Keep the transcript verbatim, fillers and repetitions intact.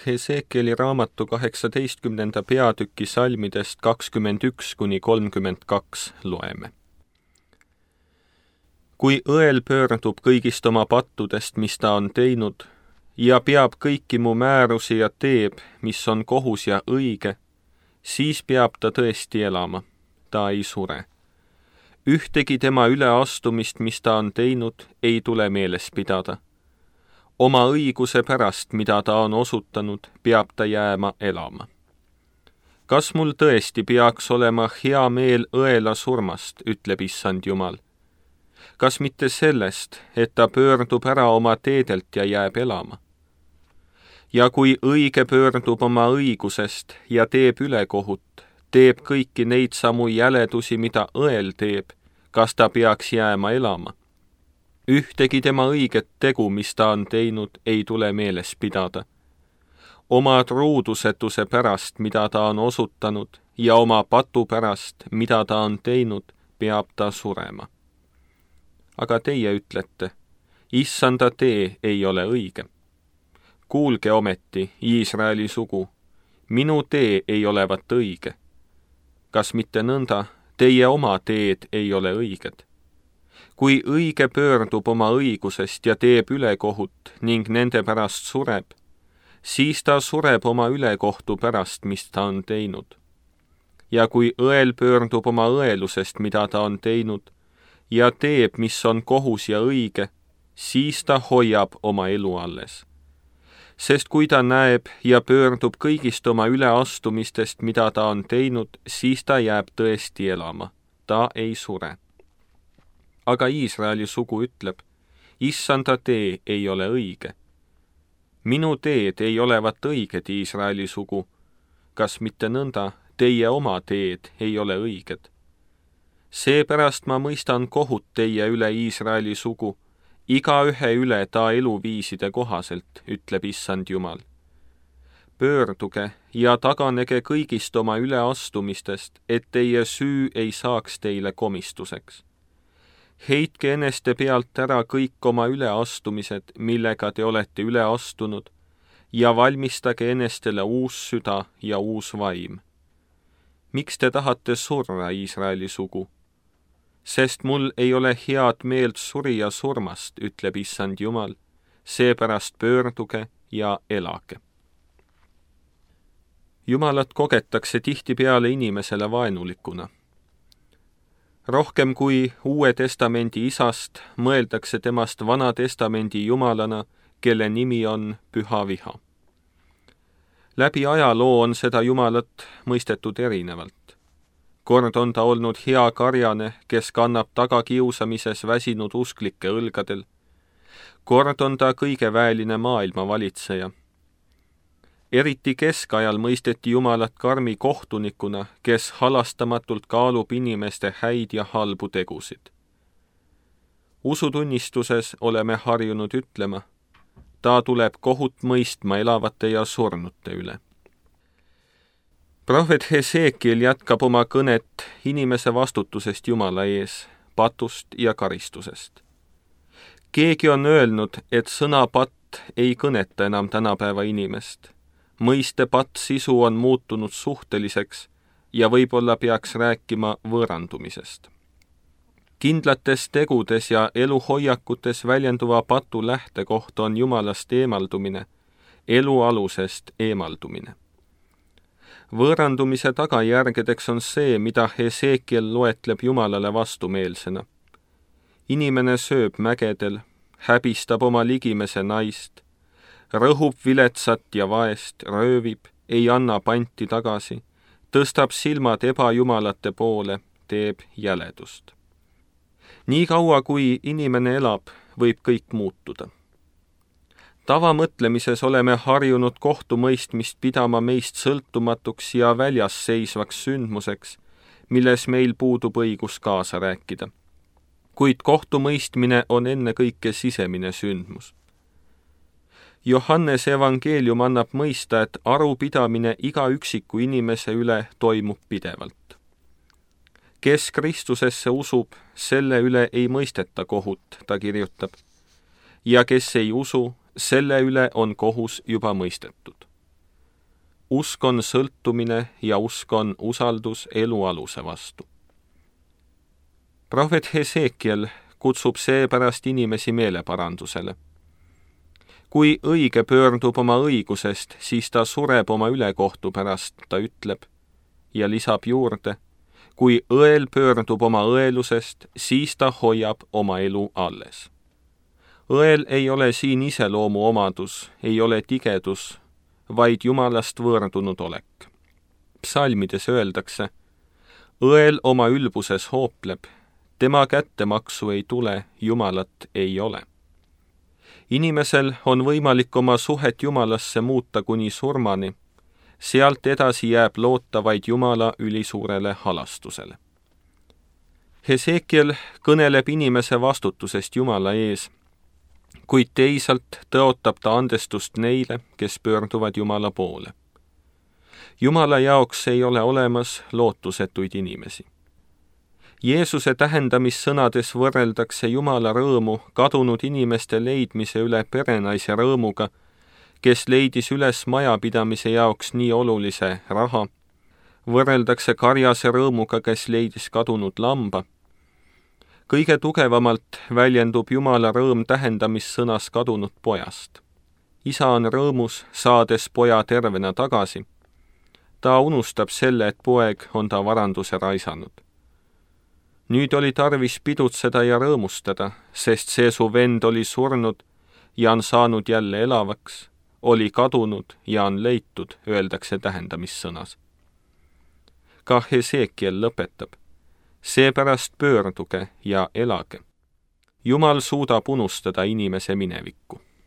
Hesekieli raamatu kaheksateistkümnenda peatüki salmidest kakskümmend üks kuni kolmkümmend kaks loeme. Kui õel pöördub kõigist oma pattudest, mis ta on teinud, ja peab kõiki mu määrusi ja teeb, mis on kohus ja õige, siis peab ta tõesti elama, ta ei sure. Ühtegi tema üleastumist, mis ta on teinud, ei tule meeles pidada. Oma õiguse pärast, mida ta on osutanud, peab ta jääma elama. Kas mul tõesti peaks olema hea meel õela surmast, ütleb issand Jumal? Kas mitte sellest, et ta pöördub ära oma teedelt ja jääb elama? Ja kui õige pöördub oma õigusest ja teeb ülekohut, teeb kõiki neid samu jäledusi, mida õel teeb, kas ta peaks jääma elama? Ühtegi tema õiget tegu, mis ta on teinud, ei tule meeles pidada. Oma truudusetuse pärast, mida ta on osutanud, ja oma patu pärast, mida ta on teinud, peab ta surema. Aga teie ütlete, issanda tee ei ole õige. Kuulge ometi, Iisraeli sugu, minu tee ei olevat õige. Kas mitte nõnda, teie oma teed ei ole õiged? Kui õige pöördub oma õigusest ja teeb ülekohut ning nende pärast sureb, siis ta sureb oma ülekohtu pärast, mis ta on teinud. Ja kui õel pöördub oma õelusest, mida ta on teinud, ja teeb, mis on kohus ja õige, siis ta hoiab oma elu alles. Sest kui ta näeb ja pöördub kõigist oma üleastumistest, mida ta on teinud, siis ta jääb tõesti elama, ta ei sure. Aga Iisraeli sugu ütleb, issanda tee ei ole õige. Minu teed ei olevat õiged, Iisraeli sugu. Kas mitte nõnda, teie oma teed ei ole õiged? Seepärast ma mõistan kohut teie üle, Iisraeli sugu, igaühe üle ta eluviiside kohaselt, ütleb issand Jumal. Pöörduge ja taganege kõigist oma üleastumistest, et teie süü ei saaks teile komistuseks. Heitke eneste pealt ära kõik oma üleastumised, millega te olete üle astunud, ja valmistage enestele uus süda ja uus vaim. Miks te tahate surra, Iisraeli sugu? Sest mul ei ole head meelt surija surmast, ütleb issand Jumal, seepärast pöörduge ja elage. Jumalat kogetakse tihtipeale inimesele vaenulikuna. Rohkem kui Uue Testamendi isast mõeldakse temast Vana Testamendi Jumalana, kelle nimi on Püha Viha. Läbi ajaloo on seda Jumalat mõistetud erinevalt. Kord on ta olnud hea karjane, kes kannab tagakiusamises väsinud usklike õlgadel. Kord on ta kõigeväeline maailma valitseja. Eriti keskajal mõisteti Jumalat karmi kohtunikuna, kes halastamatult kaalub inimeste häid ja halbu tegusid. Usutunnistuses oleme harjunud ütlema, ta tuleb kohut mõistma elavate ja surnute üle. Prohvet Hesekiel jätkab oma kõnet inimese vastutusest Jumala ees, patust ja karistusest. Keegi on öelnud, et sõna patt ei kõneta enam tänapäeva inimest. Mõiste patt sisu on muutunud suhteliseks ja võib-olla peaks rääkima võõrandumisest. Kindlates tegudes ja eluhoiakutes väljenduva patu lähtekoht on Jumalast eemaldumine, elu alusest eemaldumine. Võõrandumise tagajärgedeks on see, mida Hesekiel loetleb Jumalale vastumeelsena. Inimene sööb mägedel, häbistab oma ligimese naist, rõhub viletsat ja vaest, röövib, ei anna panti tagasi, tõstab silmad ebajumalate poole, teeb jäledust. Nii kaua, kui inimene elab, võib kõik muutuda. Tavamõtlemises oleme harjunud kohtumõistmist pidama meist sõltumatuks ja väljas seisvaks sündmuseks, milles meil puudub õigus kaasa rääkida. Kuid kohtumõistmine on ennekõike sisemine sündmus. Johannese evangeelium annab mõista, et arupidamine iga üksiku inimese üle toimub pidevalt. Kes Kristusesse usub, selle üle ei mõisteta kohut, ta kirjutab, ja kes ei usu, selle üle on kohus juba mõistetud. usk on sõltumine ja usk on usaldus elu aluse vastu. Prohvet Hesekiel kutsub seepärast inimesi meeleparandusele. Kui õige pöördub oma õigusest, siis ta sureb oma ülekohtu pärast, ta ütleb, ja lisab juurde, kui õel pöördub oma õelusest, siis ta hoiab oma elu alles. Õel ei ole siin iseloomu omadus, ei ole tigedus, vaid Jumalast võõrdunud olek. Psalmides öeldakse, õel oma ülbuses hoopleb, tema kättemaksu ei tule, Jumalat ei ole. Inimesel on võimalik oma suhet Jumalasse muuta kuni surmani, sealt edasi jääb loota vaid Jumala ülisuurele halastusele. Hesekiel kõneleb inimese vastutusest Jumala ees, kuid teisalt tõotab ta andestust neile, kes pöörduvad Jumala poole. Jumala jaoks ei ole olemas lootusetuid inimesi. Jeesuse tähendamissõnades võrreldakse Jumala rõõmu kadunud inimeste leidmise üle perenaise rõõmuga, kes leidis üles majapidamise jaoks nii olulise raha, võrreldakse karjase rõõmuga, kes leidis kadunud lamba. Kõige tugevamalt väljendub Jumala rõõm tähendamissõnas kadunud pojast. Isa on rõõmus, saades poja tervena tagasi. Ta unustab selle, et poeg on ta varanduse raisanud. Nüüd oli tarvis pidutseda ja rõõmustada, sest see su vend oli surnud ja on saanud jälle elavaks, oli kadunud ja on leitud, öeldakse tähendamissõnas. Ka Hesekiel lõpetab, seepärast pöörduge ja elage. Jumal suudab unustada inimese minevikku.